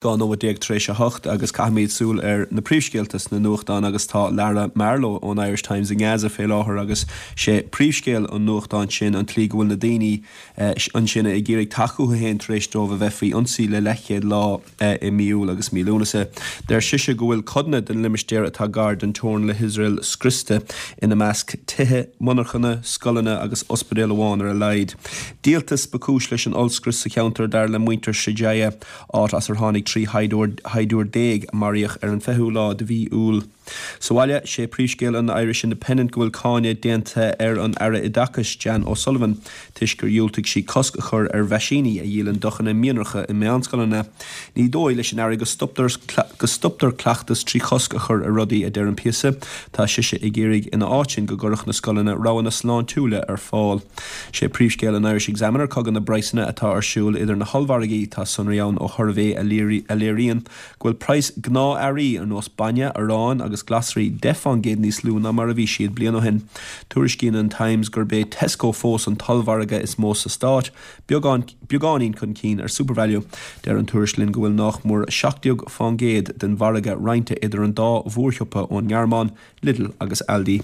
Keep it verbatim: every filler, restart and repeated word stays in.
Dhá nóiméad déag tar éis a hocht agus caithfimid súil ar na príomhscéalta sna nuachtáin agus tá Lara Marlowe ón Irish Times i nGaza fé láthair agus sé príomhscéal an nuachtáin sin an tslí go bhfuil na daoine ansin ag iarraidh teacht chucu féin tar éis dóibh a bheith faoi ionsaí le leathchéad lá i mí Iúil agus mí Lúnasa. Deir sise go bhfuil codanna den limistéar atá gar don teorainn le hIosrael scriosta ina measc tithe, monarchana, scoileanna agus ospidéal amháin ar a laghad. Díoltas ba chúis leis an ollscrios sa cheantar dar le muintir Shujaiya, áit as ar tháinig trí shaighdiúir déag a maraíodh ar an fichiú lá de mhí Iúil. Sa bhaile, sé príomhscéal an Irish Independent go bhfuil cáineadh déanta ar an Aire Oideachais Jan O'Sullivan toisc gur dhiúltaigh sí cosc a chur ar mheaisíní a dhíolann deochanna mianracha i meánscoileanna. Ní dóigh leis an Aire go stoptar go stoptar cleachtas trí chosc a chur ar rudaí a deir an píosa, Tá sise ag iarraidh ina áit sin go gcuirfeadh na scoileanna roghanna sláintiúla ar fáil. Sé príomhscéal an Irish Examiner cogadh na bpraghsanna atá ar siúl idir na hollmhargaí tá sonraí ann ó shuirbhé a léiríonn go bhfuil praghas gnáth-earraí ar nós bainne, arán agus glasraí deich faoin gcéad níos lú ná mar a bhí siad bliain ó shin. Tuairiscíonn an Times gurb é Tesco fós an t-ollmhargadh is mó sa stát, beagán beagáinín chun cinn ar Supervalu. Deir an tuairisc linn go bhfuil nach mór seacht déag faoin gcéad den mhargadh roinnte idir an dá mhórshiopa ón nGearmáin, Lidl agus Aldi.